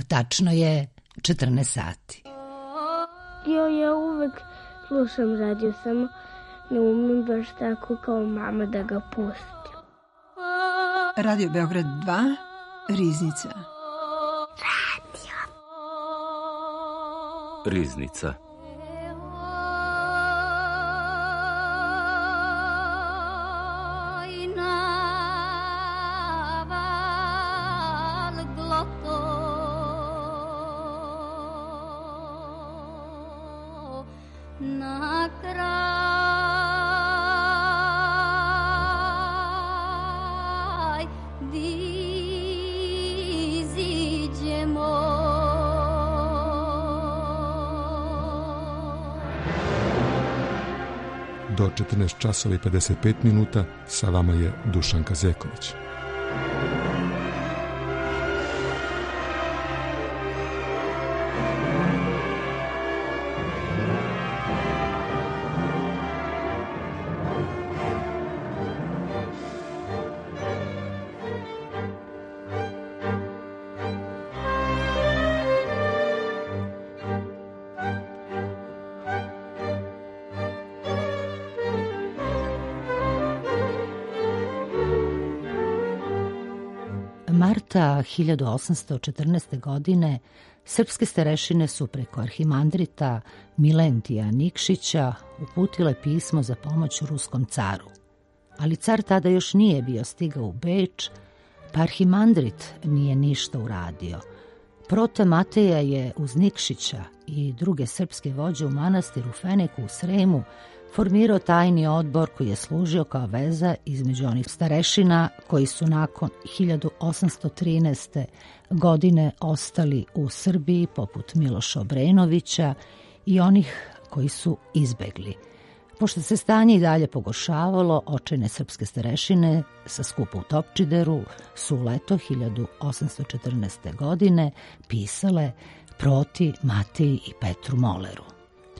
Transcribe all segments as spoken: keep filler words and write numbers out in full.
Tačno je četrnaest sati. Jo, ja uvek slušam radio, samo ne umem baš tako kao mama da ga pustim. Radio Beograd dva, Riznica. Radio. Riznica. Do četrnaest časova i pedeset pet minuta sa vama je Dušanka Zeković. Marta hiljadu osamsto četrnaeste. godine srpske starešine su preko arhimandrita Milentija Nikšića uputile pismo za pomoć ruskom caru. Ali car tada još nije bio stigao u Beč, pa arhimandrit nije ništa uradio. Prote Mateja je uz Nikšića i druge srpske vođe u manastiru Feneku u Sremu formirao tajni odbor koji je služio kao veza između onih starešina koji su nakon hiljadu osamsto trinaeste. godine ostali u Srbiji poput Miloša Obrenovića i onih koji su izbegli. Pošto se stanje i dalje pogoršavalo, očajne srpske starešine sa skupa u Topčideru su u leto hiljadu osamsto četrnaeste. godine pisale Proti, Mateji i Petru Moleru.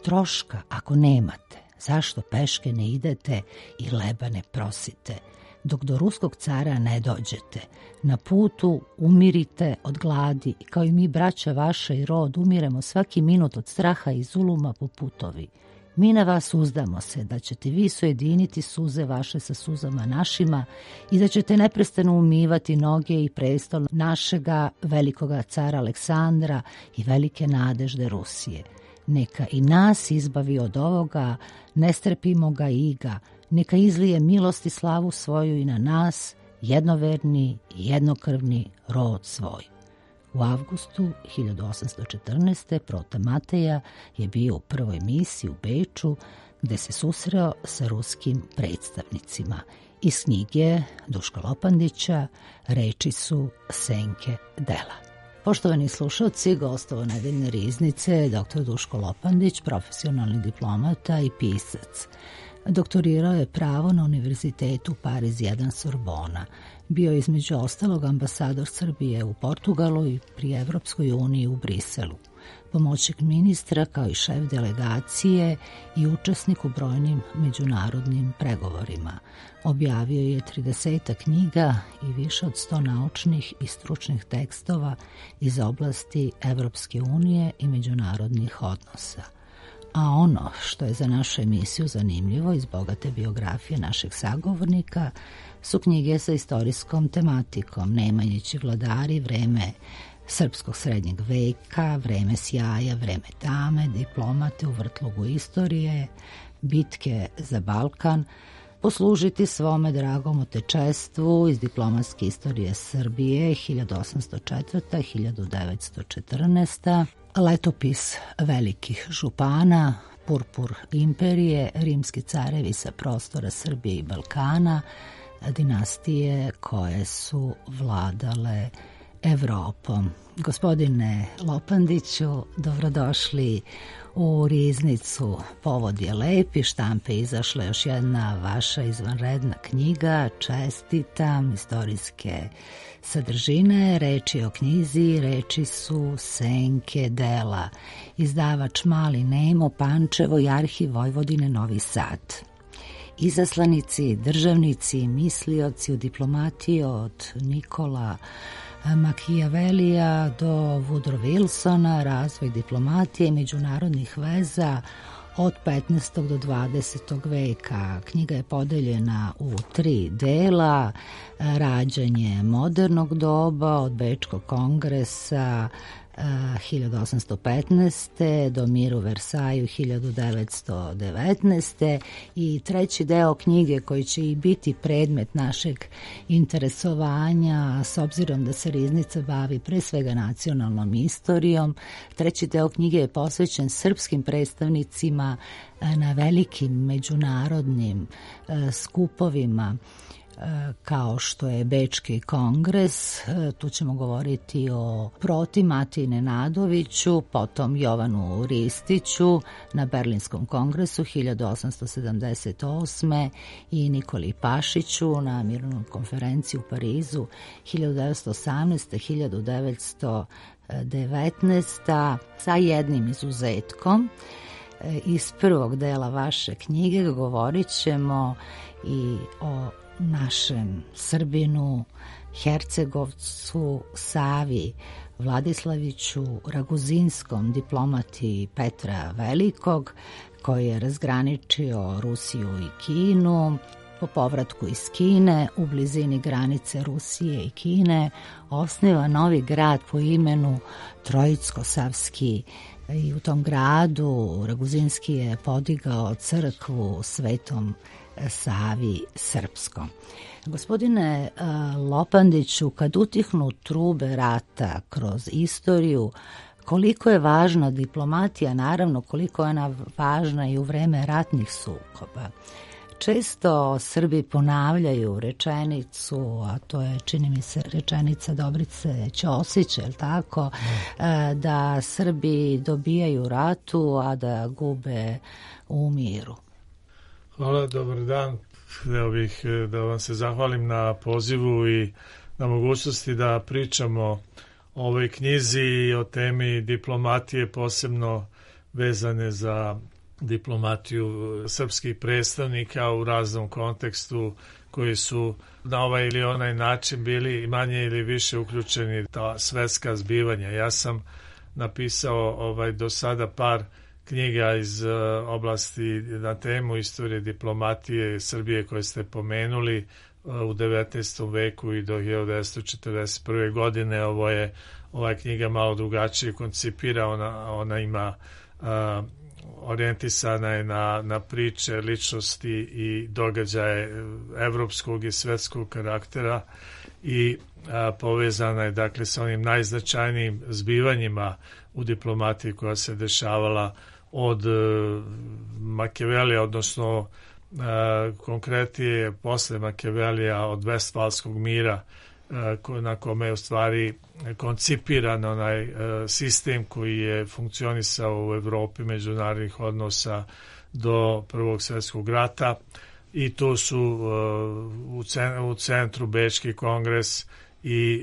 Troška ako nemate, zašto peške ne idete i leba ne prosite? Dok do ruskog cara ne dođete, na putu umirite od gladi, kao i mi, braća vaša i rod, umiremo svaki minut od straha i zuluma po putovi. Mi na vas uzdamo se da ćete vi sojediniti suze vaše sa suzama našima i da ćete neprestano umivati noge i prestol našega velikoga cara Aleksandra i velike nadežde Rusije. Neka i nas izbavi od ovoga nestrpimoga iga, neka izlije milost i slavu svoju i na nas, jednoverni i jednokrvni rod svoj. U avgustu hiljadu osamsto četrnaeste. Prote Mateja je bio u prvoj misiji u Beču, gde se susreo sa ruskim predstavnicima. Iz knjige Duška Lopandića reči su Senke Dela. Poštovani slušalci, gostovo nedeljne riznice doktor Duško Lopandić, profesionalni diplomata i pisac. Doktorirao je pravo na Univerzitetu Pariz jedan Sorbona. Bio je između ostalog ambasador Srbije u Portugalu i pri Evropskoj uniji u Briselu. Pomoćnik ministra kao i šef delegacije i učesnik u brojnim međunarodnim pregovorima. Objavio je trideset knjiga i više od sto naučnih i stručnih tekstova iz oblasti Evropske unije i međunarodnih odnosa. A ono što je za našu emisiju zanimljivo iz bogate biografije našeg sagovornika su knjige sa istorijskom tematikom Nemanjići vladari, Vreme srpskog srednjeg veka, Vreme sjaja, Vreme tame, Diplomate u vrtlogu istorije, Bitke za Balkan, Poslužiti svome dragom otečestvu iz diplomatske istorije Srbije hiljadu osamsto četvrta do hiljadu devetsto četrnaesta. Letopis velikih župana, Purpur imperije, rimski carevi sa prostora Srbije i Balkana, dinastije koje su vladale Evropom. Gospodine Lopandiću, dobrodošli u riznicu. Povod je lep, iz štampe izašla još jedna vaša izvanredna knjiga, čestitam, istorijske sadržine, reči o knjizi, reči su Senke Dela, izdavač Mali Nemo, Pančevo i Arhiv Vojvodine Novi Sad. Izaslanici, državnici, mislioci u diplomatiji od Nikola Machiavellija do Woodrow Wilsona, razvoj diplomatije i međunarodnih veza od petnaestog do dvadesetog veka. Knjiga je podeljena u tri dela: rađanje modernog doba od Bečkog kongresa hiljadu osamsto petnaeste. do mir u Versaju hiljadu devetsto devetnaeste. i treći deo knjige koji će i biti predmet našeg interesovanja, s obzirom da se Riznica bavi pre svega nacionalnom istorijom. Treći deo knjige je posvećen srpskim predstavnicima na velikim međunarodnim skupovima kao što je Bečki kongres. Tu ćemo govoriti o Proti Matiji Nenadoviću, potom Jovanu Ristiću na Berlinskom kongresu hiljadu osamsto sedamdeset osme. i Nikoli Pašiću na Mirovnoj konferenciji u Parizu hiljadu devetsto osamnaeste do hiljadu devetsto devetnaeste. sa jednim izuzetkom. Iz prvog dela vaše knjige govorit ćemo i o našem Srbinu, Hercegovcu Savi Vladislaviću Raguzinskom, diplomati Petra Velikog, koji je razgraničio Rusiju i Kinu. Po povratku iz Kine, u blizini granice Rusije i Kine, osniva novi grad po imenu Trojicko-Savski. I u tom gradu Raguzinski je podigao crkvu Svetom Savi Srpskom. Gospodine Lopandiću, kad utihnu trube rata kroz istoriju, koliko je važna diplomatija, naravno koliko je ona važna i u vreme ratnih sukoba. Često Srbi ponavljaju rečenicu, a to je, čini mi se, rečenica Dobrice Ćosića, je li tako, da Srbi dobijaju ratu, a da gube u miru. Hvala, dobar dan. Hteo bih da vam se zahvalim na pozivu i na mogućnosti da pričamo o ovoj knjizi i o temi diplomatije, posebno vezane za diplomatiju srpskih predstavnika u raznom kontekstu koji su na ovaj ili onaj način bili manje ili više uključeni ta svetska zbivanja. Ja sam napisao ovaj do sada par knjiga iz uh, oblasti na temu istorije diplomatije Srbije koje ste pomenuli uh, u devetnaestom veku i do hiljadu devetsto četrdeset prve. godine. Ovo je, ova knjiga malo drugačije koncipira, ona, ona ima uh, orijentisana je na, na priče, ličnosti i događaje evropskog i svetskog karaktera i a, povezana je dakle sa onim najznačajnijim zbivanjima u diplomatiji koja se dešavala od e, Machiavellija, odnosno e, konkretnije posle Machiavellija od Vestfalskog mira, na kome je u stvari koncipiran onaj sistem koji je funkcionisao u Evropi međunarodnih odnosa do Prvog svjetskog rata i tu su u centru Bečki kongres i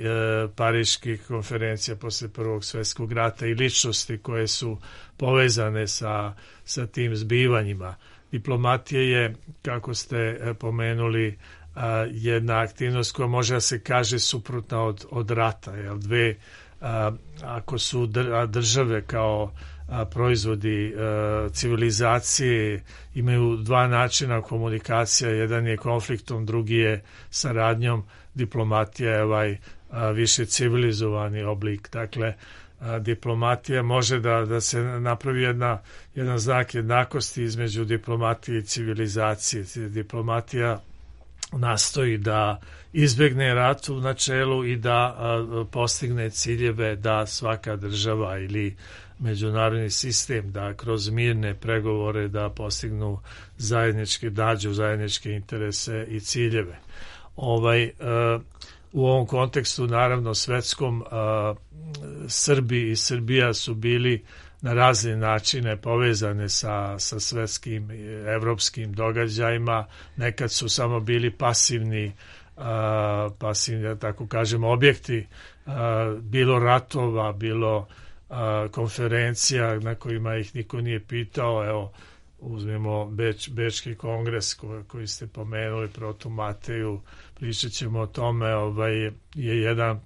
Pariški konferencija posle Prvog svjetskog rata i ličnosti koje su povezane sa, sa tim zbivanjima. Diplomatija je, kako ste pomenuli, a, jedna aktivnost koja može da se kaže suprotna od, od rata. Jel? Dve, a, ako su države kao a, proizvodi a, civilizacije imaju dva načina komunikacija, jedan je konfliktom, drugi je saradnjom, diplomatija je ovaj a, više civilizovani oblik. Dakle, a, diplomatija može da, da se napravi jedna, jedan znak jednakosti između diplomatije i civilizacije. Diplomatija nastoji da izbegne rat u načelu i da a, postigne ciljeve da svaka država ili međunarodni sistem da kroz mirne pregovore da postignu zajedničke, dađu zajedničke interese i ciljeve. Ovaj, a, u ovom kontekstu, naravno svetskom, a, Srbi i Srbija su bili na razne načine povezane sa, sa svetskim evropskim događajima. Nekad su samo bili pasivni, a, pasivni, tako kažem, objekti, a, bilo ratova, bilo a, konferencija na kojima ih niko nije pitao. Evo, uzmemo Beč, Bečki kongres ko, koji ste pomenuli, Protu Mateju, pričat ćemo o tome, ovaj, je jedan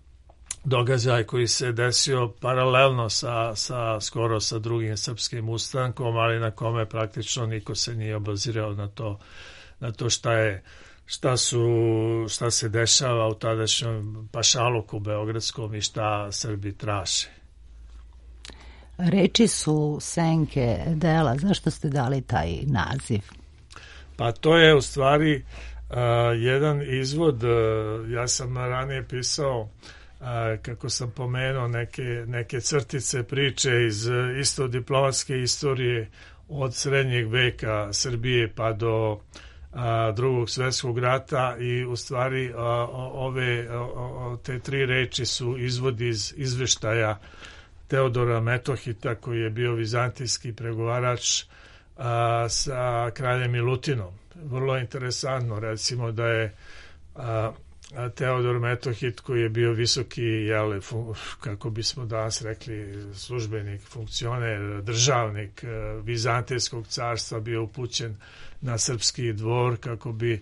događaj koji se desio paralelno sa, sa skoro sa drugim srpskim ustankom, ali na kome praktično niko se nije obazirao na to, na to šta je šta su šta se dešava u tadašnjem pašaluku beogradskom i šta Srbi traže. Reči su senke dela. Zašto ste dali taj naziv? Pa to je u stvari uh, jedan izvod. Uh, ja sam ranije pisao, uh, kako sam pomenuo, neke, neke crtice priče iz uh, isto diplomatske istorije od srednjeg veka Srbije pa do uh, drugog svjetskog rata i u stvari uh, ove uh, te tri reči su izvod iz izveštaja Teodora Metohita, koji je bio vizantijski pregovarač a, sa kraljem Milutinom. Vrlo interesantno, recimo da je a, a Teodor Metohit, koji je bio visoki, jel, fun, kako bismo danas rekli, službenik, funkcioner, državnik a, Vizantijskog carstva, bio upućen na srpski dvor kako bi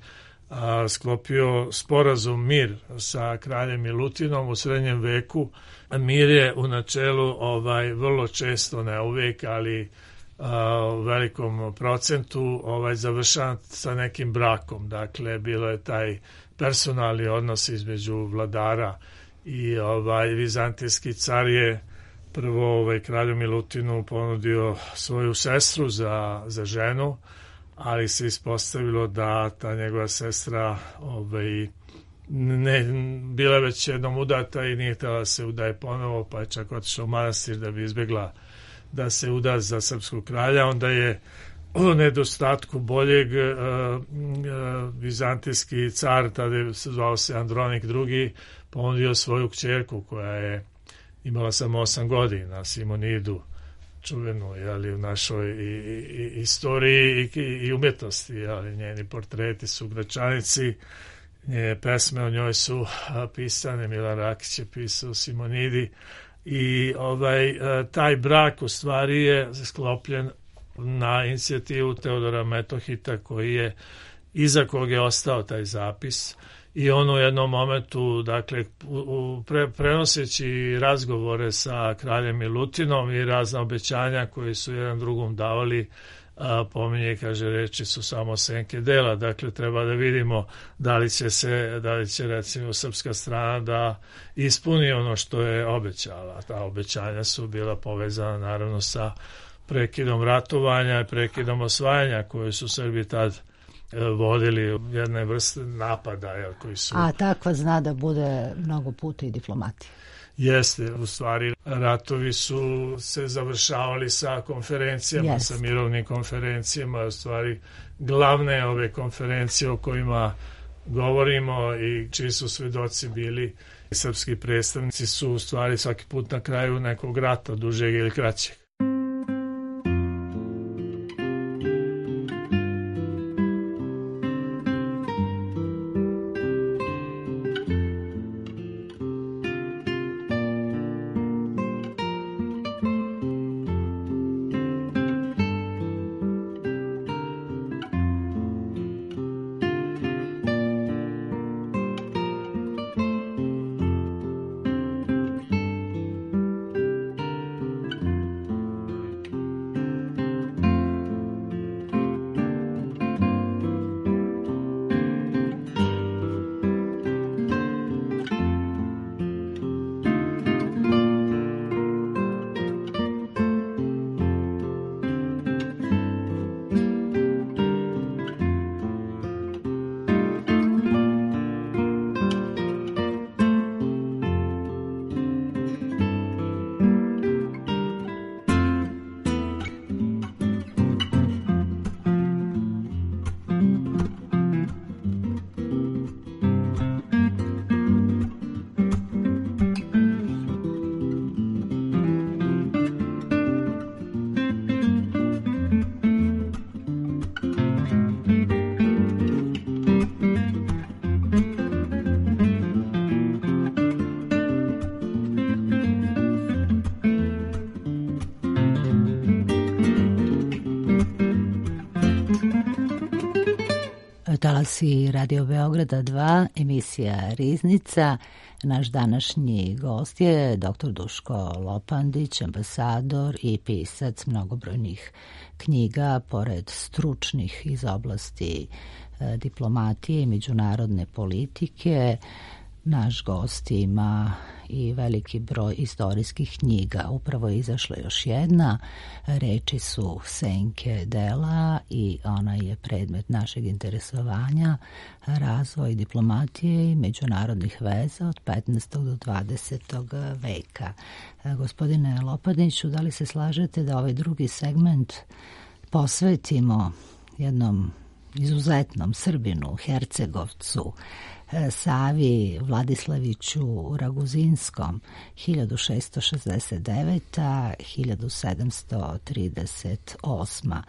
a, sklopio sporazum mir sa kraljem Milutinom u srednjem veku. Mir je u načelu ovaj vrlo često, ne uvijek, ali a, u velikom procentu ovaj završavan sa nekim brakom. Dakle, bilo je taj personalni odnos između vladara i ovaj vizantijski car je prvo ovaj kralju Milutinu ponudio svoju sestru za, za ženu, ali se ispostavilo da ta njegova sestra ovaj ne, bila već jednom udata i nije htjela da se udaje ponovo, pa je čak otišla u manastir da bi izbjegla da se uda za srpskog kralja. Onda je u nedostatku boljeg uh, uh, vizantijski car, tada je zvao se Andronik drugi, ponudio svoju kćerku koja je imala samo osam godina, Simonidu, čuvenu, jeli, u našoj i, i, istoriji i, i umjetnosti, jeli, njeni portreti su gračanici, njene pesme o njoj su pisane, Milan Rakić je pisao Simonidi i ovaj, taj brak u stvari je sklopljen na inicijativu Teodora Metohita, koji je, iza kog je ostao taj zapis i on u jednom momentu, dakle, u, pre, prenoseći razgovore sa kraljem Milutinom i razna obećanja koje su jedan drugom davali, a, pominje, kaže, reči su samo senke dela. Dakle, treba da vidimo da li će se, da li će recimo srpska strana da ispuni ono što je obećala. Ta obećanja su bila povezana naravno sa prekidom ratovanja i prekidom osvajanja koje su Srbi tad vodili jedne vrste napada, jel, koji su... A takva zna da bude mnogo puta i diplomatija. Jeste, u stvari ratovi su se završavali sa konferencijama, Jeste. sa mirovnim konferencijama, u stvari glavne ove konferencije o kojima govorimo i čiji su svedoci bili srpski predstavnici su u stvari svaki put na kraju nekog rata, dužeg ili kraćeg. Talasi Radio Beograda dva, emisija Riznica. Naš današnji gost je doktor Duško Lopandić, ambasador i pisac mnogobrojnih knjiga, pored stručnih iz oblasti e, diplomatije i međunarodne politike. Naš gost ima i veliki broj istorijskih knjiga. Upravo je izašla još jedna. Reči su senke dela i ona je predmet našeg interesovanja, razvoj diplomatije i međunarodnih veza od petnaestog do dvadesetog veka. Gospodine Lopandiću, da li se slažete da ovaj drugi segment posvetimo jednom izuzetnom Srbinu, Hercegovcu, Savi Vladislaviću Raguzinskom, hiljadu šeststo šezdeset deveta do hiljadu sedamsto trideset osma.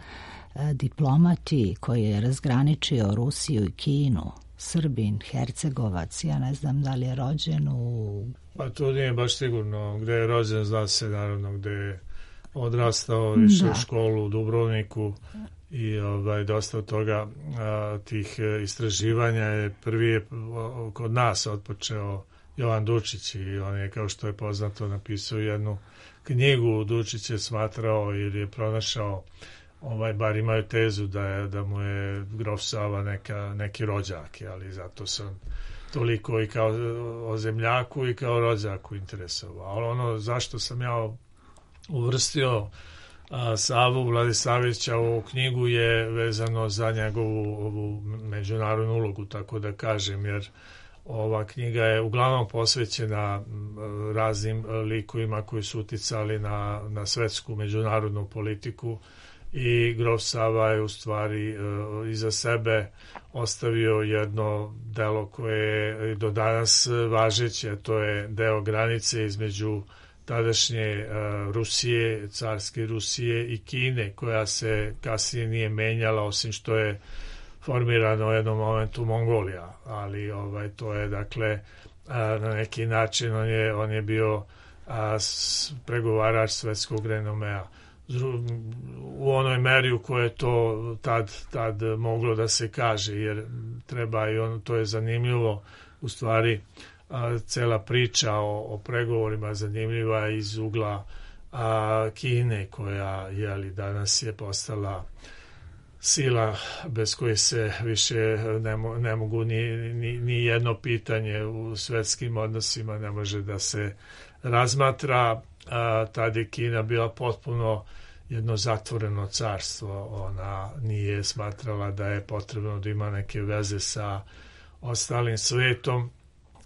Diplomati koji je razgraničio Rusiju i Kinu, Srbin, Hercegovac, ja ne znam da li je rođen u... Pa to nije baš sigurno. Gde je rođen, zna se naravno gde je odrastao, išao u školu u Dubrovniku. I ovaj, dosta od toga a, tih istraživanja je prvi je kod nas otpočeo Jovan Dučić i on je, kao što je poznato, napisao jednu knjigu. Dučić je smatrao ili je pronašao, ovaj, bar imaju tezu da, je, da mu je grof Sava neka, neki rođak, ali zato sam toliko i kao o zemljaku i kao rođaku interesovao. Ali ono zašto sam ja uvrstio A, Savu Vladislavića u knjigu je vezano za njegovu ovu međunarodnu ulogu, tako da kažem, jer ova knjiga je uglavnom posvećena raznim likovima koji su uticali na, na svetsku međunarodnu politiku i grof Sava je u stvari iza sebe ostavio jedno delo koje je do danas važeće, to je deo granice između tadašnje uh, Rusije, carske Rusije i Kine, koja se kasnije nije menjala, osim što je formirano u jednom momentu Mongolija, ali ovaj to je dakle uh, na neki način on je, on je bio uh, pregovarač svetskog renomea u onoj meri u kojoj je to tad, tad moglo da se kaže, jer treba i on, to je zanimljivo u stvari. A, cela priča o, o pregovorima zanimljiva iz ugla a, Kine, koja jeli, danas je postala sila bez koje se više ne, mo, ne mogu ni, ni, ni jedno pitanje u svetskim odnosima ne može da se razmatra. A, tad je Kina bila potpuno jedno zatvoreno carstvo. Ona nije smatrala da je potrebno da ima neke veze sa ostalim svetom.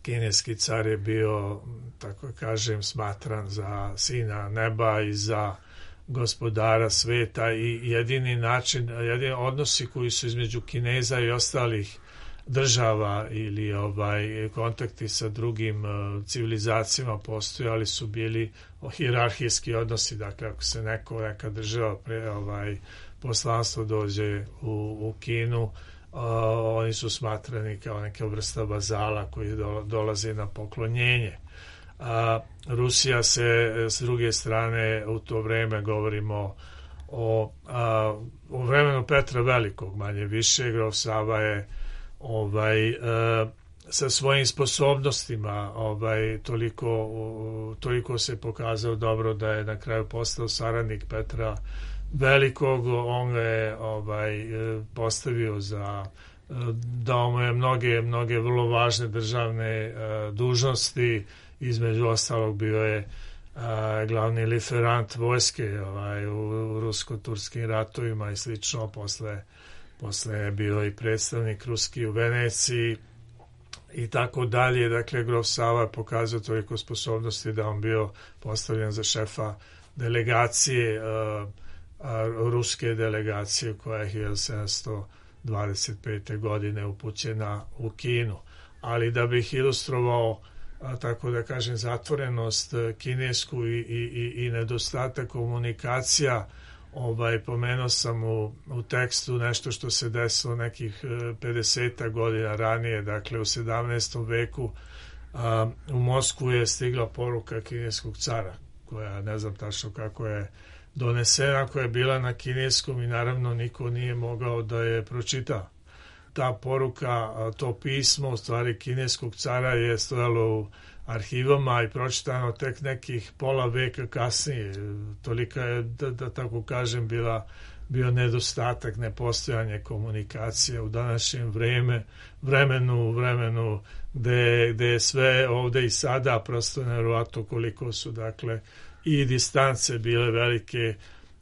Kineski car je bio, tako kažem, smatran za sina neba i za gospodara sveta i jedini način, jedini odnosi koji su između Kineza i ostalih država ili ovaj kontakti sa drugim uh, civilizacijama postojali su bili hijerarhijski odnosi, dakle ako se neko, neka država pre, ovaj, poslanstvo dođe u, u Kinu, Uh, oni su smatrani kao neka vrsta vazala koji do, dolaze na poklonjenje. Uh, Rusija se s druge strane u to vreme govorimo o, uh, o vremenu Petra Velikog, manje više. Grof Sava je ovaj, uh, sa svojim sposobnostima ovaj, toliko, uh, toliko se pokazao dobro da je na kraju postao saradnik Petra Velikog. On ga je ovaj, postavio za, dao mu je mnoge, mnoge vrlo važne državne uh, dužnosti, između ostalog bio je uh, glavni liferant vojske ovaj, u, u rusko-turskim ratovima i slično. Posle, posle je bio i predstavnik ruski u Veneciji i tako dalje. Dakle, grof Sava je pokazao toliko sposobnosti da on bio postavljen za šefa delegacije, uh, ruske delegacije koja je hiljadu sedamsto dvadeset pete. godine upućena u Kinu. Ali da bih ilustrovao, tako da kažem, zatvorenost kinesku i, i, i nedostatak komunikacija, ovaj, pomenuo sam u, u tekstu nešto što se desilo nekih pedeset godina ranije, dakle u sedamnaestom veku a, u Moskvu je stigla poruka kineskog cara, koja ne znam tačno kako je donesena, koja je bila na kineskom i naravno niko nije mogao da je pročita. ta poruka, to pismo u stvari kineskog cara je stojalo u arhivama i pročitano tek nekih pola veka kasnije. Tolika je, da, da tako kažem, bila, bio nedostatak, nepostojanje komunikacije u današnjem vreme, vremenu, vremenu gde, gde je sve ovde i sada prosto nevjerovatno koliko su, dakle, i distance bile velike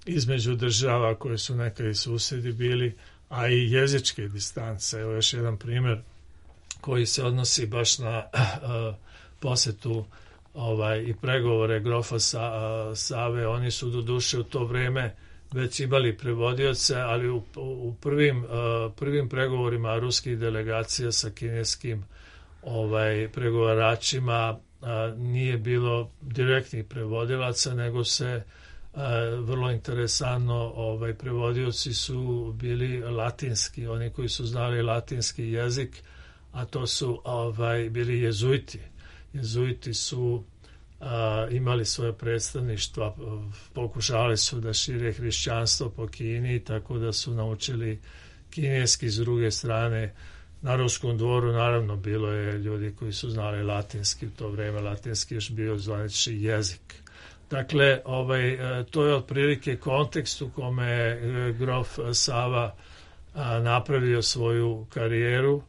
između država koje su nekad i susedi bili, a i jezičke distance. Evo još jedan primjer koji se odnosi baš na uh, posetu ovaj, i pregovore grofa Sa, uh, Save. Oni su do duše u to vreme već imali prevodioce, ali u, u prvim, uh, prvim pregovorima ruskih delegacija sa kineskim ovaj, pregovaračima uh, nije bilo direktnih prevodilaca, nego se uh, vrlo interesantno ovaj, prevodioci su bili latinski, oni koji su znali latinski jezik, a to su ovaj, bili jezuiti. Jezuiti su a, imali svoje predstavništva, pokušali su da šire hrišćanstvo po Kini, tako da su naučili kineski. S druge strane, na Ruskom dvoru naravno bilo je ljudi koji su znali latinski, u to vreme latinski još bio zvanični jezik. Dakle, ovaj, to je otprilike kontekst u kome je grof Sava a, napravio svoju karijeru.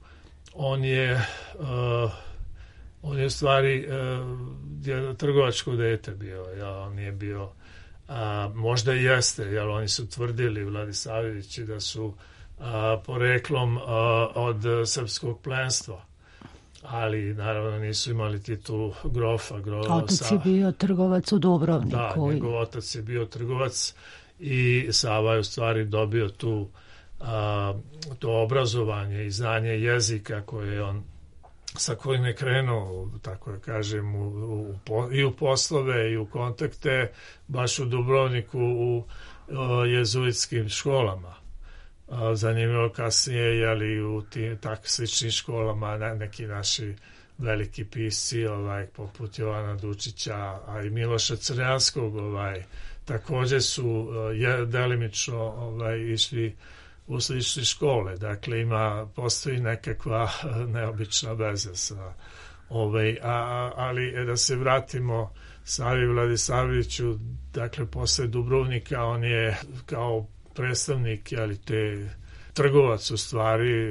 On je uh, on je u stvari uh, trgovačko dete bio, ja, on nije bio, a, možda i jeste, jer oni su tvrdili, Vladisavljevići, da su a, poreklom a, od srpskog plenstva, ali naravno nisu imali titulu grofa. grofa otac je bio trgovac u Dubrovniku. Da, njegov otac je bio trgovac i Sava je u stvari dobio tu a, to obrazovanje i znanje jezika koje je on sa kojim je krenuo, tako da kažem, u, u, i u poslove i u kontakte, baš u Dubrovniku u o, jezuitskim školama. A, zanimljivo kasnije, jeli, u tim tak sličnim školama ne, neki naši veliki pisci, ovaj, poput Jovana Dučića, a i Miloša Crnjanskog, ovaj, također su je, delimično ovaj, išli u slične škole. Dakle, ima, postoji nekakva neobična veza sa ovaj, a, ali da se vratimo Savi Vladisavljeviću, dakle, posle Dubrovnika on je kao predstavnik, ali te trgovac u stvari,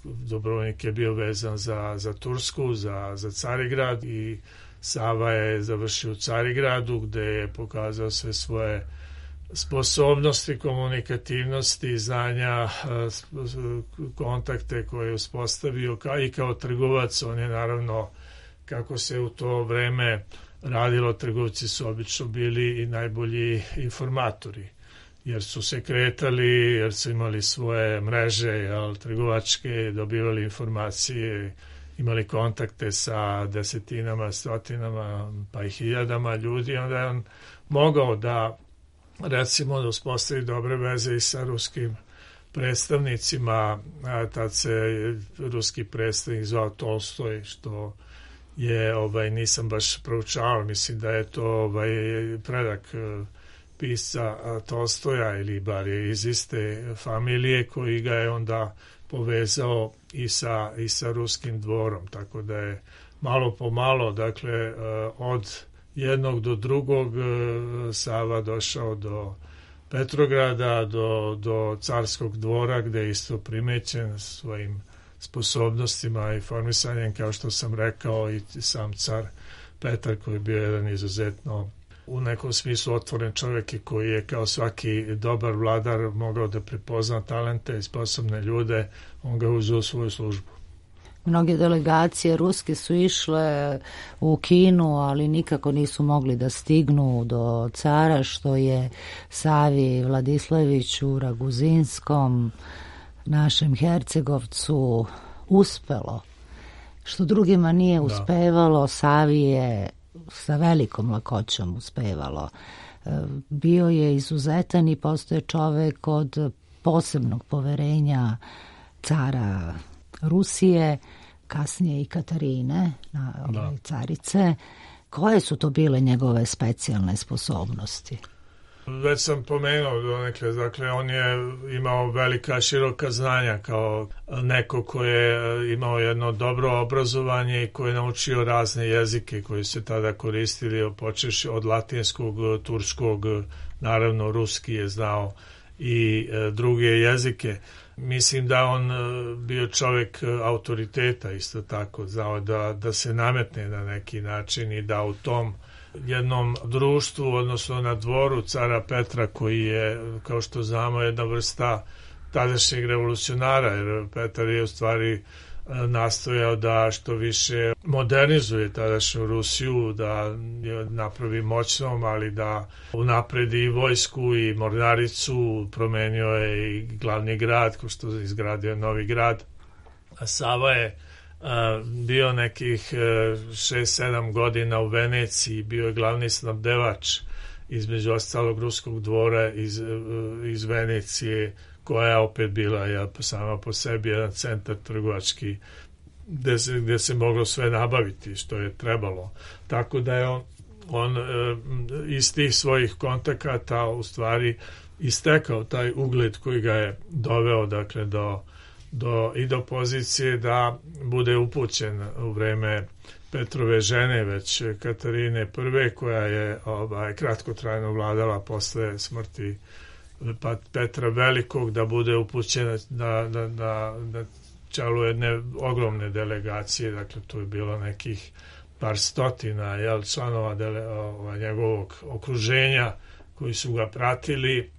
Dubrovnik je bio vezan za, za Tursku, za, za Carigrad i Sava je završio u Carigradu gde je pokazao sve svoje sposobnosti, komunikativnosti, znanja, kontakte koje je uspostavio kao i kao trgovac. On je naravno, kako se u to vreme radilo, trgovci su obično bili i najbolji informatori, jer su se kretali, jer su imali svoje mreže, jel, trgovačke, dobivali informacije, imali kontakte sa desetinama, stotinama, pa i hiljadama ljudi. Onda je on mogao da, recimo, da uspostavi dobre veze i sa ruskim predstavnicima. A tad se ruski predstavnik zvao Tolstoj, što je, ovaj, nisam baš proučavao, mislim da je to ovaj, predak pisca Tolstoja, ili bar je iz iste familije, koji ga je onda povezao i sa, i sa ruskim dvorom, tako da je malo po malo, dakle, od jednog do drugog Sava došao do Petrograda, do, do carskog dvora, gde je isto primećen svojim sposobnostima i formisanjem, kao što sam rekao, i sam car Petar, koji je bio jedan izuzetno u nekom smislu otvoren čovjek i koji je kao svaki dobar vladar mogao da prepozna talente i sposobne ljude, on ga uzeo u svoju službu. Mnoge delegacije ruske su išle u Kinu, ali nikako nisu mogli da stignu do cara, što je Savi Vladislaviću Raguzinskom, našem Hercegovcu, uspelo. Što drugima nije uspevalo, Savi je sa velikom lakoćom uspevalo. Bio je izuzetan i postoje čovek od posebnog poverenja cara Rusije, kasnije i Katarine, na ove carice. Koje su to bile njegove specijalne sposobnosti? Već sam pomenuo donekle, dakle on je imao velika široka znanja kao neko ko je imao jedno dobro obrazovanje i ko je naučio razne jezike koji se tada koristili, počevši od latinskog, turskog, naravno ruski je znao i druge jezike. Mislim da on bio čovjek autoriteta isto tako, znao da, da se nametne na neki način i da u tom jednom društvu, odnosno na dvoru cara Petra koji je, kao što znamo, jedna vrsta tadašnjeg revolucionara, jer Petar je u stvari nastojao da što više modernizuje tadašnju Rusiju, da je napravi moćnom, ali da unapredi i vojsku i mornaricu, promenio je i glavni grad, kao što je izgradio Novi grad. A Sava je bio nekih šest sedam godina u Veneciji, bio je glavni snabdevač između ostalog ruskog dvora iz, iz Venecije, koja je opet bila ja, sama po sebi jedan centar trgovački gde se, gde se moglo sve nabaviti što je trebalo. Tako da je on, on iz tih svojih kontakata u stvari istekao taj ugled koji ga je doveo dakle do Do, i do pozicije da bude upućen u vreme Petrove žene, već Katarine prve, koja je ovaj, kratkotrajno vladala posle smrti Petra Velikog, da bude upućena na, na, na, na čelu jedne ogromne delegacije, dakle tu je bilo nekih par stotina jel, članova dele, ovaj, njegovog okruženja koji su ga pratili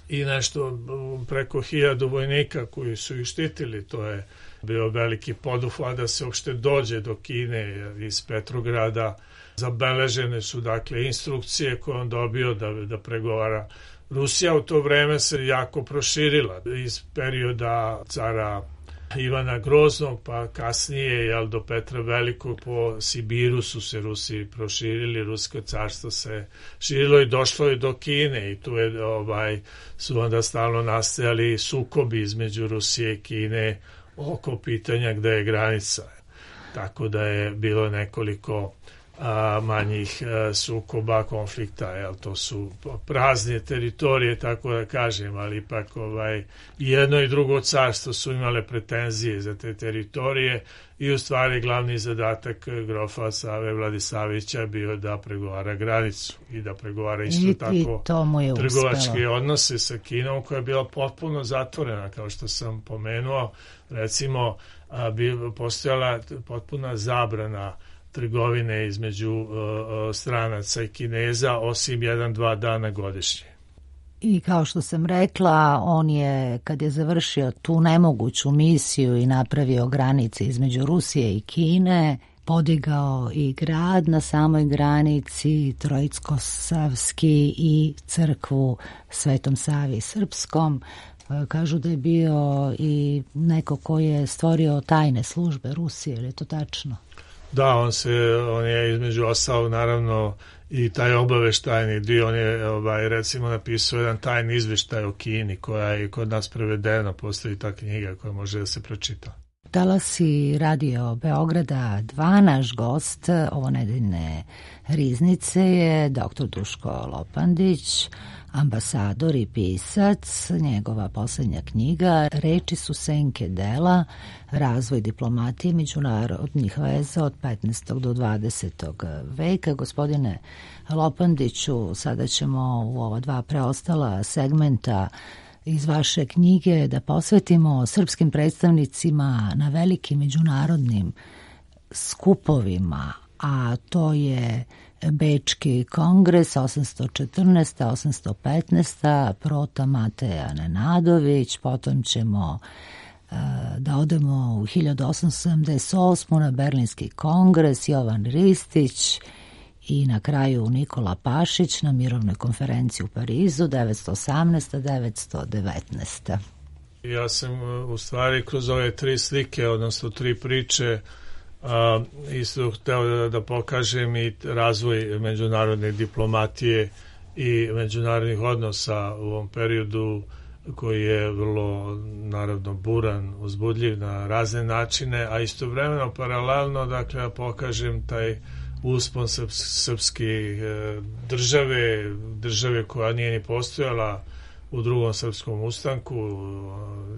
i nešto preko hiljadu vojnika koji su ih štitili. To je bio veliki poduhvat da se uopšte dođe do Kine iz Petrograda. Zabeležene su dakle instrukcije koje on dobio da, da pregovara. Rusija u to vreme se jako proširila iz perioda cara Ivana Groznog, pa kasnije jel, do Petra Velikog po Sibiru su se Rusi proširili, Rusko carstvo se širilo i došlo je do Kine i tu je, ovaj, su onda stalno nastajali sukobi između Rusije i Kine oko pitanja gde je granica. Tako da je bilo nekoliko a, manjih a, sukoba, konflikta, jel, to su prazne teritorije, tako da kažem, ali ipak ovaj, jedno i drugo carstvo su imale pretenzije za te teritorije i u stvari glavni zadatak grofa Save Vladislavića bio da pregovara granicu i da pregovara isto I, tako i trgovačke uspelo. odnose sa Kinom koja je bila potpuno zatvorena, kao što sam pomenuo, recimo a, bi postojala potpuna zabrana trgovine između uh, stranaca i Kineza osim jedan, dva dana godišnje. I kao što sam rekla, on je, kad je završio tu nemoguću misiju i napravio granice između Rusije i Kine, podigao i grad na samoj granici, Trojicko-Savski i crkvu Svetom Savi Srpskom. Kažu da je bio i neko ko je stvorio tajne službe Rusije, je li to tačno? Da, on se, on je između ostalog naravno i taj obaveštajni dio, on je ovaj, recimo napisao jedan tajni izveštaj o Kini koja je kod nas prevedena, postoji ta knjiga koja može da se pročita. Talasi Radio Beograda dva, naš gost ovo nedeljne riznice je doktor Duško Lopandić, ambasador i pisac. Njegova poslednja knjiga Reči su senke dela, razvoj diplomatije međunarodnih veza od petnaestog do dvadesetog veka. Gospodine Lopandiću, sada ćemo u ova dva preostala segmenta iz vaše knjige da posvetimo srpskim predstavnicima na velikim međunarodnim skupovima, a to je Bečki kongres osamsto četrnaesta do osamsto petnaesta Prota Mateja Nenadović, potom ćemo uh, da odemo u hiljadu osamsto sedamdeset osmu na Berlinski kongres, Jovan Ristić i na kraju Nikola Pašić na mirovnoj konferenciji u Parizu devetsto osamnaesta do devetsto devetnaesta Ja sam u stvari kroz ove tri slike, odnosno tri priče, a, isto hteo da, da pokažem i razvoj međunarodne diplomatije i međunarodnih odnosa u ovom periodu koji je vrlo naravno buran, uzbudljiv na razne načine, a istovremeno paralelno dakle da pokažem taj uspon srpske države, države koja nije ni postojala u drugom srpskom ustanku.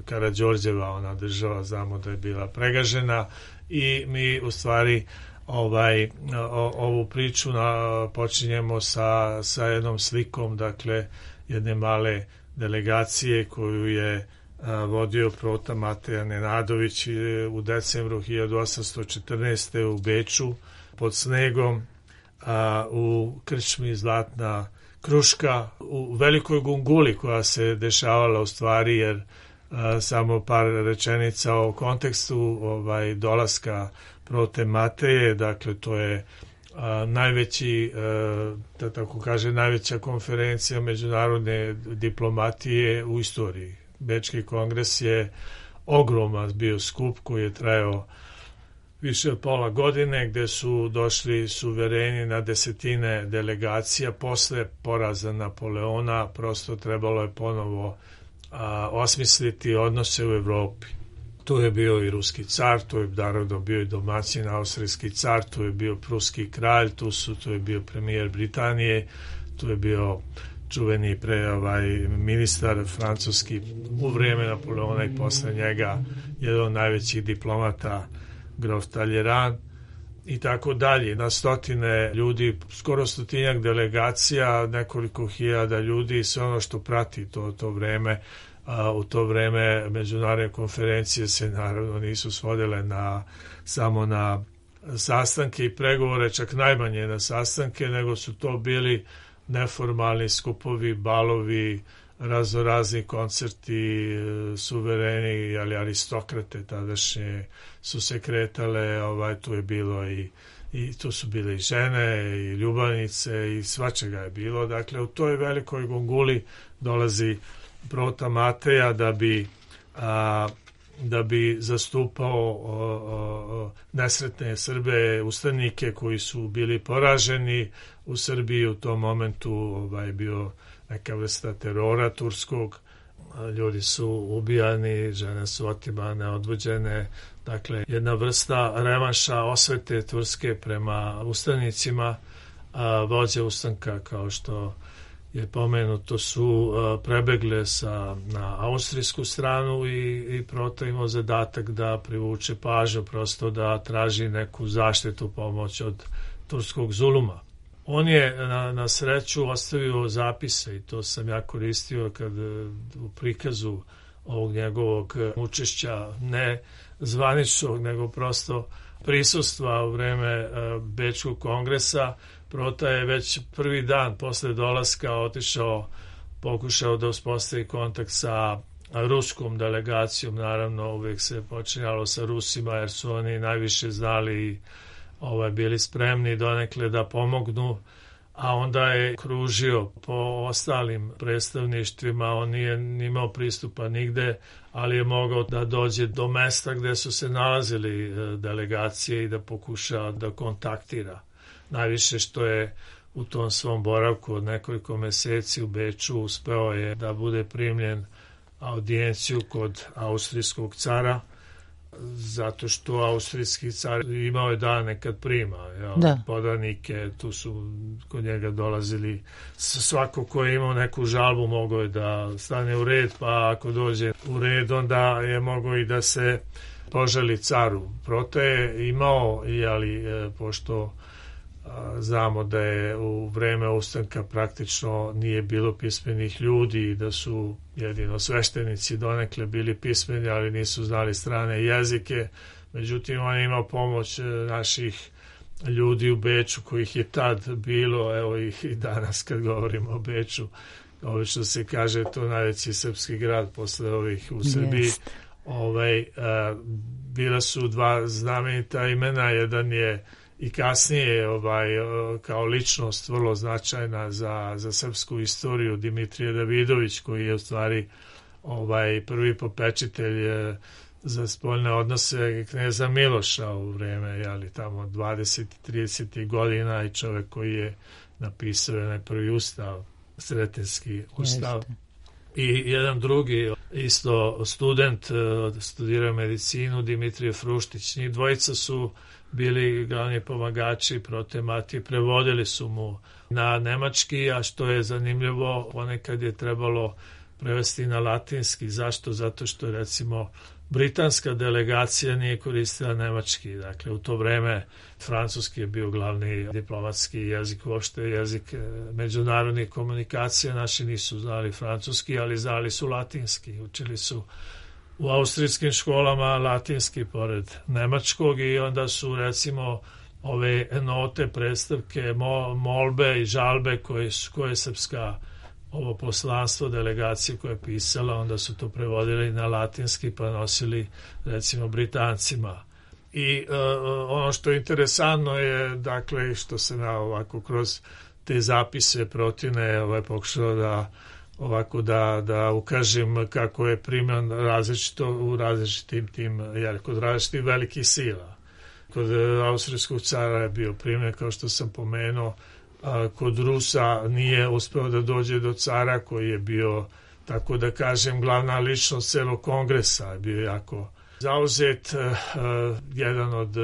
Karađorđeva, ona država, znamo da je bila pregažena i mi u stvari ovaj, o, ovu priču na, počinjemo sa, sa jednom slikom, dakle, jedne male delegacije koju je a, vodio prota Mateja Nenadović u decembru hiljadu osamsto četrnaeste. u Beču pod snegom, a, u krčmi Zlatna kruška, u velikoj gunguli koja se dešavala u stvari, jer a, samo par rečenica o kontekstu ovaj, dolaska prote Mateje, dakle to je a, najveći, a, da tako kaže, najveća konferencija međunarodne diplomatije u istoriji. Bečki kongres je ogroman bio skup koji je trajao više od pola godine, gde su došli suvereni na desetine delegacija. Posle poraza Napoleona prosto trebalo je ponovo a, osmisliti odnose u Evropi. Tu je bio i ruski car, tu je naravno bio i domaćin austrijski car, tu je bio pruski kralj, tu, su, tu je bio premijer Britanije, tu je bio čuveni pre ovaj, ministar francuski u vrijeme Napoleona i posle njega jedan od najvećih diplomata grof Talleyrand i tako dalje. Na stotine ljudi, skoro stotinjak delegacija, nekoliko hiljada ljudi, sve ono što prati to, to vreme. A, u to vreme međunarodne konferencije se naravno nisu svodile na, samo na sastanke i pregovore, čak najmanje na sastanke, nego su to bili neformalni skupovi, balovi, razorazni koncerti, suvereni, ali aristokrate tadašnje su se kretale, ovaj, tu je bilo i, i tu su bile i žene i ljubavnice i svačega je bilo. Dakle, u toj velikoj gunguli dolazi prota Mateja da bi a, da bi zastupao o, o, nesretne Srbe, ustanike koji su bili poraženi u Srbiji. U tom momentu ovaj, bio neka vrsta terora turskog, ljudi su ubijani, žene su otimane, odvođene, dakle jedna vrsta revanša, osvete turske prema ustanicima. A, vođe ustanka, kao što je pomenuto, su a, prebegle sa, na austrijsku stranu i, i prota imao zadatak da privuče pažnju, prosto da traži neku zaštitu, pomoć od turskog zuluma. On je na, na sreću ostavio zapise i to sam ja koristio kad u prikazu ovog njegovog učešća, ne zvaničnog, nego prosto prisustva u vreme Bečkog kongresa. Prota je već prvi dan posle dolaska otišao, pokušao da uspostavi kontakt sa ruskom delegacijom. Naravno, uvijek se počinjalo sa Rusima, jer su oni najviše znali i ovaj, bili spremni donekle da pomognu, a onda je kružio po ostalim predstavništvima. On nije imao pristupa nigde, ali je mogao da dođe do mesta gde su se nalazili delegacije i da pokuša da kontaktira. Najviše što je u tom svom boravku od nekoliko meseci u Beču uspeo je da bude primljen audijenciju kod austrijskog cara, zato što austrijski car imao je dane kad prima jel, podanike, tu su kod njega dolazili svako ko je imao neku žalbu mogao je da stane u red, pa ako dođe u red onda je mogao i da se požali caru. Prota je imao, ali pošto znamo da je u vreme ustanka praktično nije bilo pismenih ljudi i da su jedino sveštenici donekle bili pismeni, ali nisu znali strane jezike. Međutim, on je imao pomoć naših ljudi u Beču, kojih je tad bilo, evo ih i danas kad govorimo o Beču, obično se kaže to najveći srpski grad posle ovih u Srbiji. Yes. Ovaj, a, bila su dva znamenita imena, jedan je i kasnije ovaj, kao ličnost vrlo značajna za, za srpsku istoriju, Dimitrije Davidović, koji je u stvari ovaj, prvi popečitelj za spoljne odnose kneza Miloša u vreme, jeli, tamo dvadesetih tridesetih godina, i čovek koji je napisao onaj prvi ustav, Sretenski ustav. Jeste. I jedan drugi isto student, studirao medicinu, Dimitrije Fruštić. Njih dvojica su bili glavni pomagači prote Matije, prevodili su mu na nemački, a što je zanimljivo, ponekad je trebalo prevesti na latinski. Zašto? Zato što recimo britanska delegacija nije koristila nemački. Dakle, u to vreme francuski je bio glavni diplomatski jezik, uopšte jezik međunarodnih komunikacija. Naši nisu znali francuski, ali znali su latinski. Učili su u austrijskim školama latinski pored nemačkog i onda su recimo ove note, predstavke, molbe i žalbe koje, koje je srpska ovo poslanstvo delegacije koje je pisala, onda su to prevodili na latinski pa nosili recimo Britancima. I uh, ono što je interesantno je, dakle, što se na ovako kroz te zapise protivne ovaj, pokušao da ovako da, da ukažem kako je primjen različito u različitim tim, jer kod različitih velikih sila. Kod austrijskog cara je bio primjen, kao što sam pomenuo, kod Rusa nije uspeo da dođe do cara koji je bio, tako da kažem, glavna ličnost celog kongresa, bio jako zauzet. Jedan od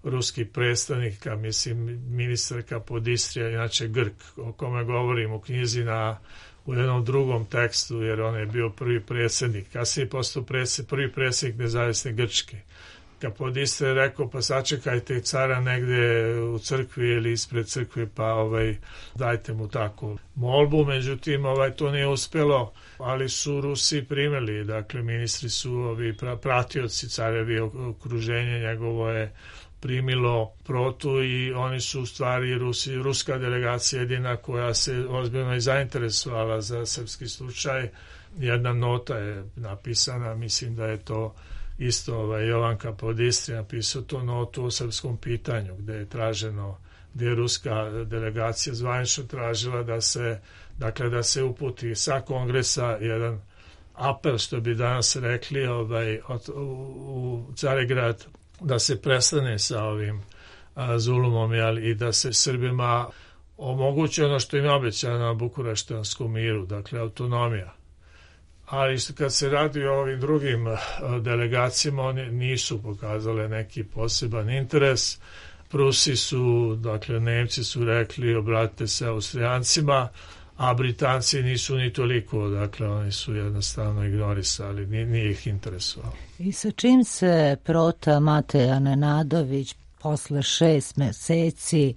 ruskih predstavnika, mislim, ministarka Podistrija, inače Grk, o kome govorim u knjizi na u jednom drugom tekstu, jer on je bio prvi predsjednik, kasnije postao predsjednik, prvi predsjednik nezavisne Grčke. Kapodistra je rekao, pa sačekajte cara negde u crkvi ili ispred crkve, pa ovaj, dajte mu takvu molbu. Međutim, ovaj, to nije uspelo, ali su Rusi primili, dakle, ministri su ovi pratioci carevi, okruženje njegovo je primilo protu i oni su u stvari Rusi, ruska delegacija jedina koja se ozbiljno i zainteresovala za srpski slučaj. Jedna nota je napisana, mislim da je to isto ovaj, Jovan Kapodistri napisao to notu o srpskom pitanju, gde je traženo, gde je ruska delegacija zvanično tražila da se, dakle, da se uputi sa kongresa jedan apel, što bi danas rekli, ovaj, od, u, u Carigrad, da se prestane sa ovim a, zulumom, jel, i da se Srbima omogući ono što im je obećano na Bukureštanskom miru, dakle autonomija. Ali kad se radi o ovim drugim delegacijama, oni nisu pokazale neki poseban interes. Prusi su, dakle Nemci su rekli obratite se Austrijancima, a Britanci nisu ni toliko, dakle oni su jednostavno ignorisali, nije, nije ih interesovalo. I sa čim se prota Mateja Nenadović posle šest meseci,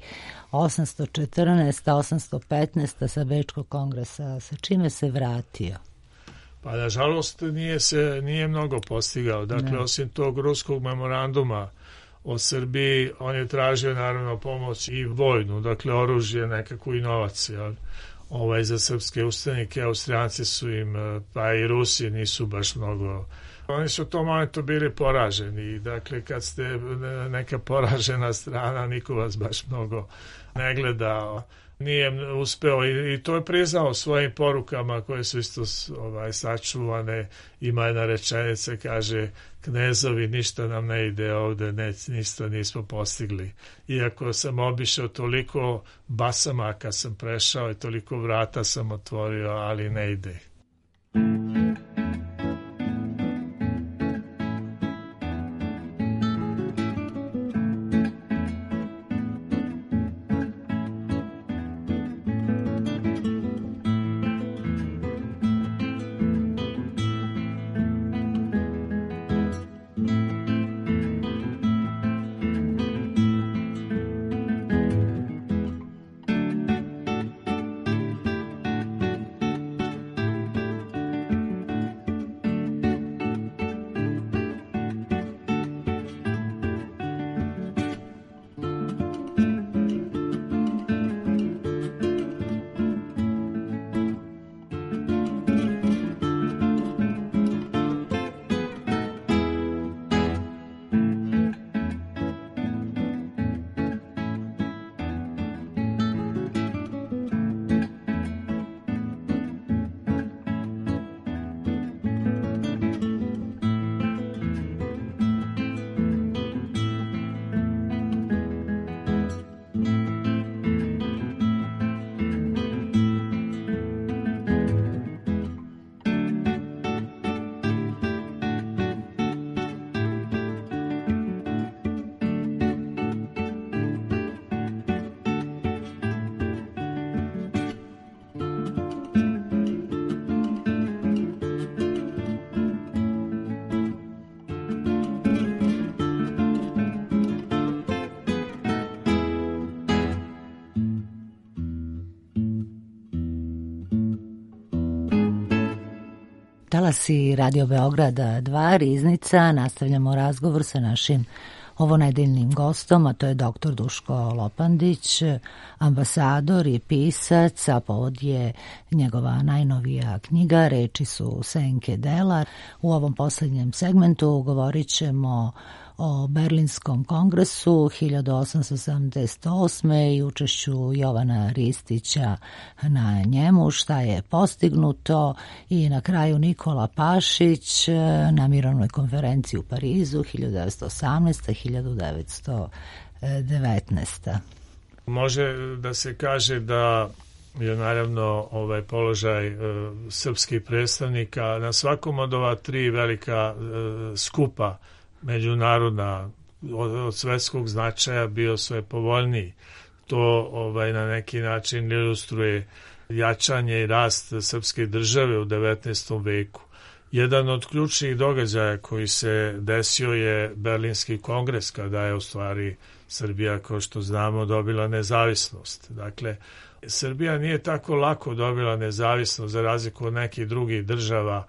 osamsto četrnaeste. osamsto petnaeste. sa Bečkog kongresa, sa čime se vratio? Pa nažalost nije se nije mnogo postigao. Dakle, ne. Osim tog ruskog memoranduma o Srbiji, on je tražio naravno pomoć i vojnu, dakle oružje, nekakvu i novac, jel? Ovaj, za srpske ustanike. Austrijanci su im, pa i Rusi nisu baš mnogo. Oni su u tom momentu bili poraženi. Dakle, kad ste neka poražena strana, niko vas baš mnogo ne gleda. Nije uspeo i, i to je priznao svojim porukama koje su isto ovaj, sačuvane. Ima jedna rečenica, kaže, knezovi, ništa nam ne ide ovde, ne, ništa nismo postigli. Iako sam obišao toliko basamaka sam prešao i toliko vrata sam otvorio, ali ne ide. Talasi Radio Beograda dva, Riznica, nastavljamo razgovor sa našim ovonedeljnim gostom, a to je doktor Duško Lopandić, ambasador i pisac, a povod je njegova najnovija knjiga Reči su senke dela. U ovom posljednjem segmentu govorit ćemo o Berlinskom kongresu hiljadu osamsto sedamdeset osme i učešću Jovana Ristića na njemu, šta je postignuto, i na kraju Nikola Pašić na mirovnoj konferenciji u Parizu hiljadu devetsto osamnaeste. hiljadu devetsto devetnaeste. Može da se kaže da je naravno ovaj položaj e, srpskih predstavnika na svakom od ova tri velika e, skupa međunarodna od, od svetskog značaja bio sve povoljniji. To ovaj na neki način ilustruje jačanje i rast srpske države u devetnaestom veku. Jedan od ključnih događaja koji se desio je Berlinski kongres, kada je u stvari Srbija, kao što znamo, dobila nezavisnost. Dakle, Srbija nije tako lako dobila nezavisnost za razliku od nekih drugih država,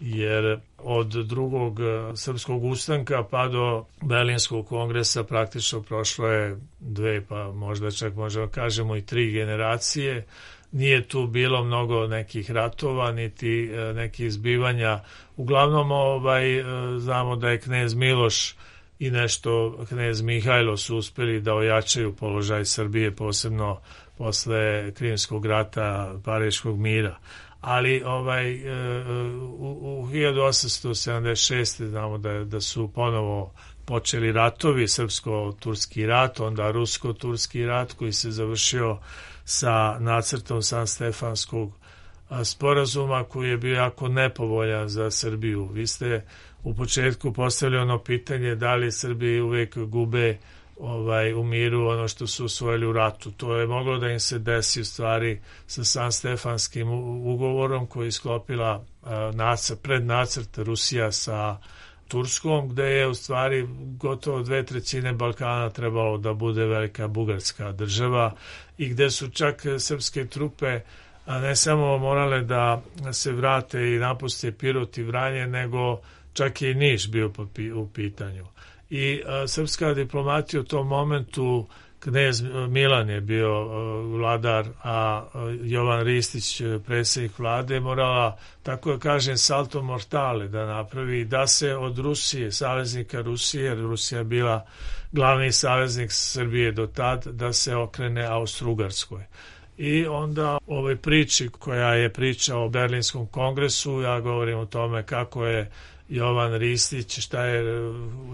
jer od drugog srpskog ustanka pa do Berlinskog kongresa praktično prošlo je dve, pa možda čak možemo kažemo i tri generacije. Nije tu bilo mnogo nekih ratova, niti nekih zbivanja. Uglavnom ovaj, znamo da je knez Miloš i nešto knez Mihajlo su uspeli da ojačaju položaj Srbije, posebno posle Krimskog rata, Pariškog mira. Ali ovaj u, u hiljadu osamsto sedamdeset šeste. znamo da, da su ponovo počeli ratovi, srpsko-turski rat, onda rusko-turski rat koji se završio sa nacrtom Sanstefanskog sporazuma koji je bio jako nepovoljan za Srbiju. Vi ste u početku postavili ono pitanje da li Srbiji uvek gube ovaj, u miru ono što su osvojili u ratu. To je moglo da im se desi u stvari sa Sanstefanskim ugovorom koji je sklopila nacrt, prednacrt Rusija sa Turskom, gde je u stvari gotovo dve trećine Balkana trebalo da bude velika bugarska država i gde su čak srpske trupe ne samo morale da se vrate i napuste Pirot i Vranje, nego čak i Niš bio u pitanju. I a, srpska diplomatija u tom momentu, knez Milan je bio a, vladar, a, a Jovan Ristić predsjednik vlade, morala, tako da kažem, salto mortale da napravi, da se od Rusije, saveznika Rusije, jer Rusija je bila glavni saveznik Srbije do tad, da se okrene Austro-Ugarskoj. I onda u ovoj priči koja je priča o Berlinskom kongresu, ja govorim o tome kako je Jovan Ristić, šta je,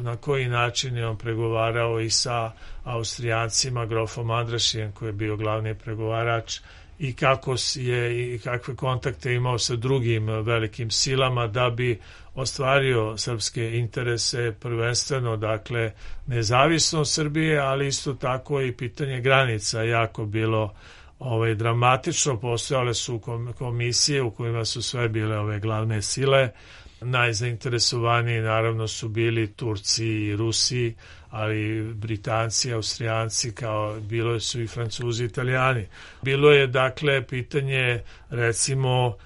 na koji način je on pregovarao i sa Austrijancima, grofom Andrašijem koji je bio glavni pregovarač, i kako je i kakve kontakte imao sa drugim velikim silama da bi ostvario srpske interese, prvenstveno dakle nezavisnost Srbije, ali isto tako i pitanje granica jako bilo ovaj dramatično. Postojale su komisije u kojima su sve bile ove glavne sile. Najzainteresovaniji naravno su bili Turci i Rusi, ali Britanci, Austrijanci, kao bilo su i Francuzi i Italijani. Bilo je dakle pitanje recimo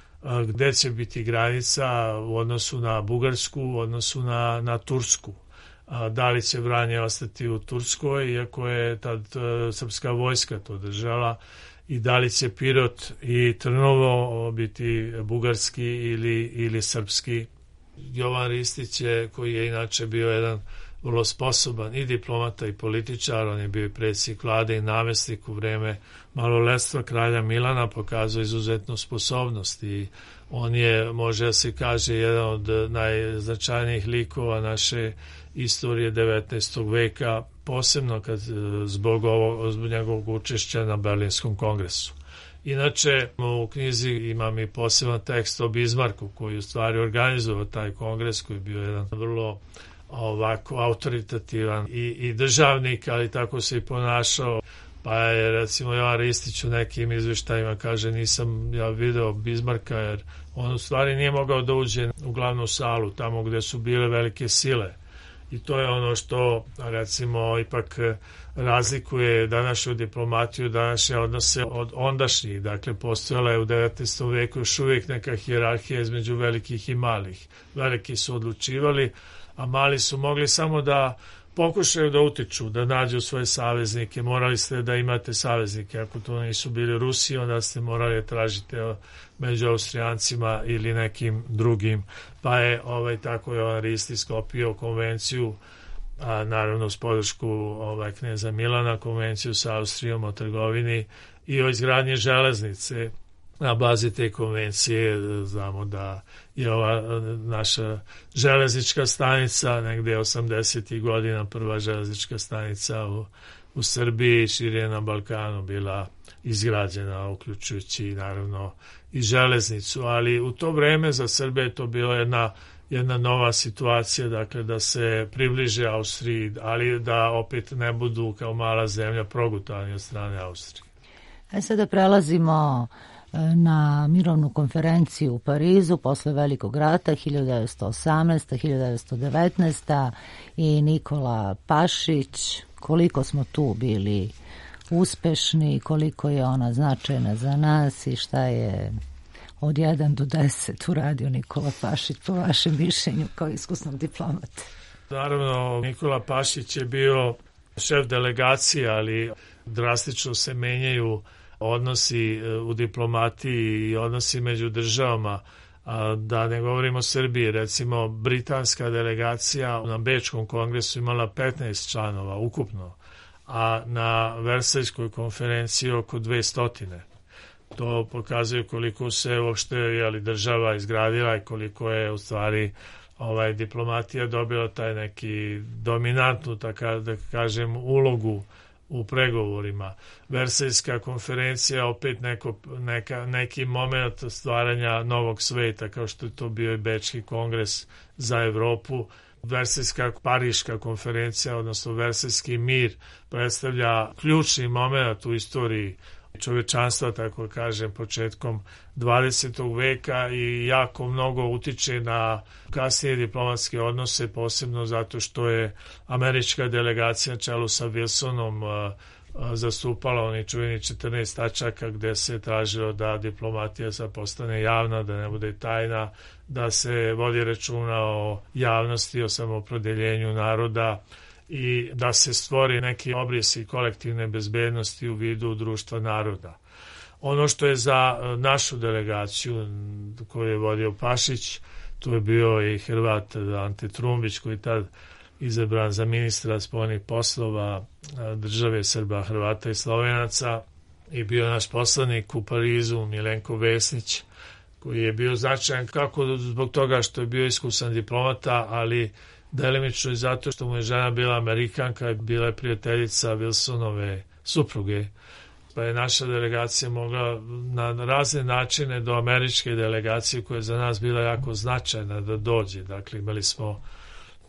gde će biti granica u odnosu na Bugarsku, u odnosu na, na Tursku. Da li će Vranje ostati u Turskoj, iako je tad srpska vojska to držala, i da li će Pirot i Trnovo biti bugarski ili, ili srpski. Jovan Ristić je, koji je inače bio jedan vrlo sposoban i diplomata i političar, on je bio predsjednik vlade i namestnik u vreme maloletstva kralja Milana, pokazao izuzetnu sposobnost i on je, može da se kaže, jedan od najznačajnijih likova naše istorije devetnaestog veka, posebno kad zbog, ovog, zbog njegovog učešća na Berlinskom kongresu. Inače, u knjizi imam i poseban tekst o Bizmarku koji u stvari organizovao taj kongres, koji je bio jedan vrlo ovako autoritativan i, i državnik, ali tako se i ponašao. Pa je recimo Jovan Ristić u nekim izveštajima kaže nisam ja video Bizmarka jer on u stvari nije mogao da uđe u glavnu salu tamo gde su bile velike sile. I to je ono što, recimo, ipak razlikuje današnju diplomatiju, današnje odnose od ondašnjih. Dakle, postojala je u devetnaestom veku još uvijek neka hijerarhija između velikih i malih. Veliki su odlučivali, a mali su mogli samo da pokušaju da utiču, da nađu svoje saveznike. Morali ste da imate saveznike. Ako to nisu bili Rusi, onda ste morali tražiti među Austrijancima ili nekim drugim. Pa je ovaj, tako je on Risti sklopio konvenciju, a naravno s podršku ovaj, kneza Milana, konvenciju sa Austrijom o trgovini i o izgradnji železnice. Na bazi te konvencije znamo da je ova naša železnička stanica negde osamdesetih godina, prva železnička stanica u, u Srbiji, šire na Balkanu bila izgrađena, uključujući naravno i železnicu, ali u to vreme za Srbe je to bila jedna, jedna nova situacija, dakle da se približe Austriji, ali da opet ne budu kao mala zemlja progutani od strane Austrije. E sada prelazimo na mirovnu konferenciju u Parizu posle Velikog rata hiljadu devetsto osamnaesta. hiljadu devetsto devetnaesta. i Nikola Pašić. Koliko smo tu bili uspešni, koliko je ona značajna za nas i šta je od jedan do deset uradio Nikola Pašić po vašem mišljenju kao iskusnom diplomata? Naravno, Nikola Pašić je bio šef delegacije, ali drastično se menjaju odnosi u diplomatiji i odnosi među državama, a da ne govorimo o Srbiji. Recimo, britanska delegacija na Bečkom kongresu imala petnaest članova ukupno, a na Versajskoj konferenciji oko dvesta. To pokazuje koliko se uopšte jeli, država izgradila i koliko je u stvari ovaj, diplomatija dobila taj neki dominantnu, tako da kažem, ulogu u pregovorima. Versajska konferencija opet neko, neka, neki moment stvaranja novog sveta, kao što je to bio i Bečki kongres za Evropu. Versajska Pariška konferencija, odnosno Versajski mir, predstavlja ključni moment u istoriji čovečanstva, tako kažem, početkom dvadesetog veka i jako mnogo utiče na kasnije diplomatske odnose, posebno zato što je američka delegacija na čelu sa Wilsonom zastupala oni čuveni četrnaest tačaka gde se tražilo da diplomatija sad postane javna, da ne bude tajna, da se vodi računa o javnosti, o samoopredeljenju naroda i da se stvori neki obrisi kolektivne bezbednosti u vidu društva naroda. Ono što je za našu delegaciju koju je vodio Pašić, tu je bio i Hrvat Ante Trumbić, koji je tad izabran za ministra spoljnih poslova države Srba, Hrvata i Slovenaca, i bio naš poslanik u Parizu Milenko Vesnić, koji je bio značajan kako zbog toga što je bio iskusan diplomata, ali delimično i zato što mu je žena bila Amerikanka, bila je prijateljica Wilsonove supruge, pa je naša delegacija mogla na razne načine do američke delegacije, koja je za nas bila jako značajna, da dođe. Dakle, imali smo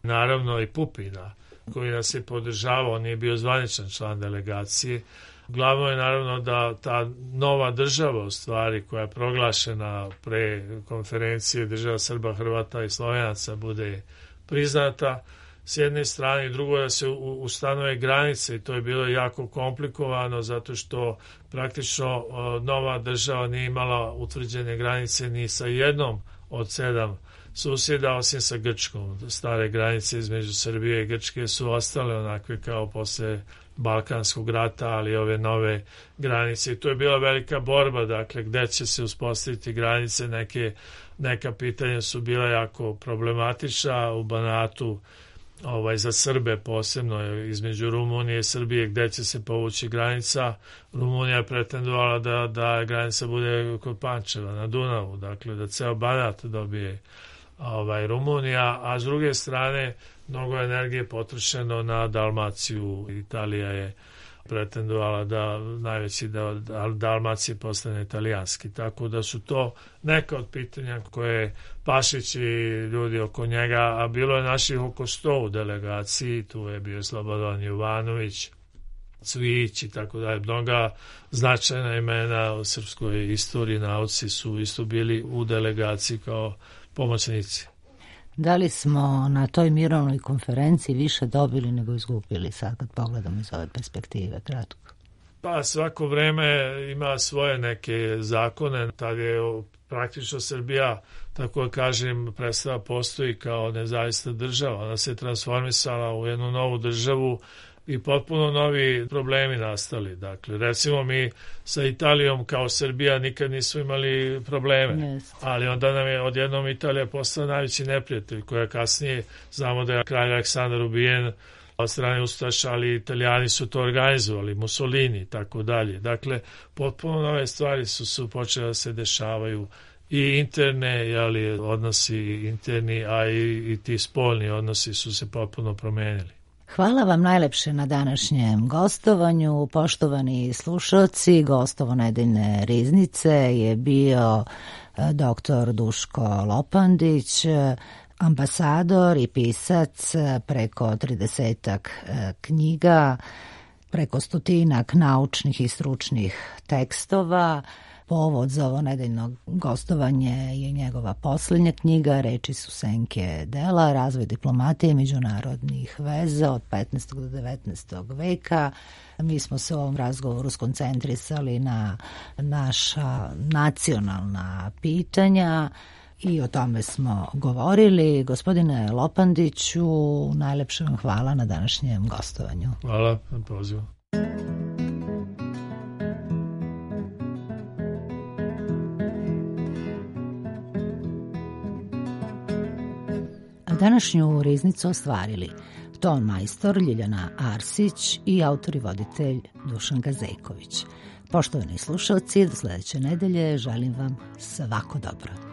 naravno i Pupina, koji nas je podržavao, on je bio zvaničan član delegacije. Glavno je naravno da ta nova država, u stvari, koja je proglašena pre konferencije država Srba, Hrvata i Slovenaca, bude priznata s jedne strane, i drugo da se ustanove granice, i to je bilo jako komplikovano zato što praktično nova država nije imala utvrđene granice ni sa jednom od sedam susjeda, osim sa Grčkom. Stare granice između Srbije i Grčke su ostale onakve kao posle Balkanskog rata, ali ove nove granice, i to je bila velika borba, dakle, gde će se uspostaviti granice. Neke, neka pitanja su bila jako problematična u Banatu, ovaj, za Srbe posebno, između Rumunije i Srbije, gde će se povući granica. Rumunija je pretendovala da, da granica bude kod Pančeva na Dunavu, dakle da ceo Banat dobije ovaj, Rumunija, a s druge strane mnogo energije potrošeno na Dalmaciju. Italija je pretendovala da najveći deo Dalmacije postane italijanski, tako da su to neka od pitanja koje Pašić i ljudi oko njega, a bilo je naših oko sto u delegaciji, tu je bio Slobodan Jovanović, Cvić i tako dalje. Mnoga značajna imena u srpskoj istoriji, nauci su isto bili u delegaciji kao pomoćnici. Da li smo na toj mirovnoj konferenciji više dobili nego izgubili, sad kad pogledamo iz ove perspektive kratko? Pa svako vreme ima svoje neke zakone. Tad je praktično Srbija, tako da kažem, prestala postoji kao nezavisna država. Ona se transformisala u jednu novu državu i potpuno novi problemi nastali. Dakle, recimo mi sa Italijom kao Srbija nikad nismo imali probleme, yes. ali onda nam je odjednom Italija postala najveći neprijatelj, koja kasnije, znamo da je kralj Aleksandar ubijen od strane ustaša, ali Italijani su to organizovali, Mussolini i tako dalje. Dakle, potpuno nove stvari su, su počele da se dešavaju i interne, jeli, odnosi interni, a i, i ti spoljni odnosi su se potpuno promenili. Hvala vam najlepše na današnjem gostovanju. Poštovani slušalci, gostovo nedeljne riznice je bio doktor Duško Lopandić, ambasador i pisac preko tridesetak knjiga, preko stotinak naučnih i stručnih tekstova. Povod za ovo nedeljno gostovanje je njegova poslednja knjiga, Reči su senke dela, razvoj diplomatije i međunarodnih veza od petnaestog do devetnaestog veka. Mi smo se u ovom razgovoru skoncentrisali na naša nacionalna pitanja i o tome smo govorili. Gospodine Lopandiću, najlepše vam hvala na današnjem gostovanju. Hvala na pozivu. Današnju riznicu ostvarili ton majstor Ljiljana Arsić i autor i voditelj Dušan Gazejković. Poštovani slušalci, do sledeće nedelje želim vam svako dobro.